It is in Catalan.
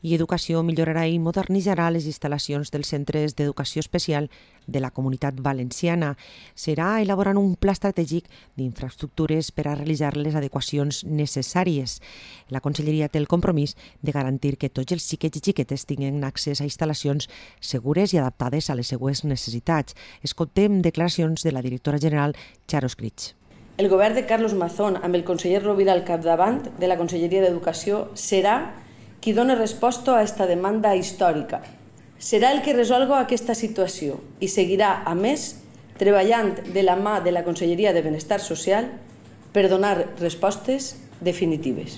i Educació millorarà i modernitzarà les instal·lacions dels centres d'educació especial de la Comunitat Valenciana. Serà elaborant un pla estratègic d'infraestructures per a realitzar les adequacions necessàries. La Conselleria té el compromís de garantir que tots els xiquets i xiquetes tinguin accés a instal·lacions segures i adaptades a les seues necessitats. Escoltem declaracions de la directora general Charo Escrig. El govern de Carlos Mazón, amb el conseller Rovira al capdavant de la Conselleria d'Educació, serà qui doni resposta a aquesta demanda històrica. Serà el que resolga aquesta situació i seguirà, a més, treballant de la mà de la Conselleria de Benestar Social per donar respostes definitives.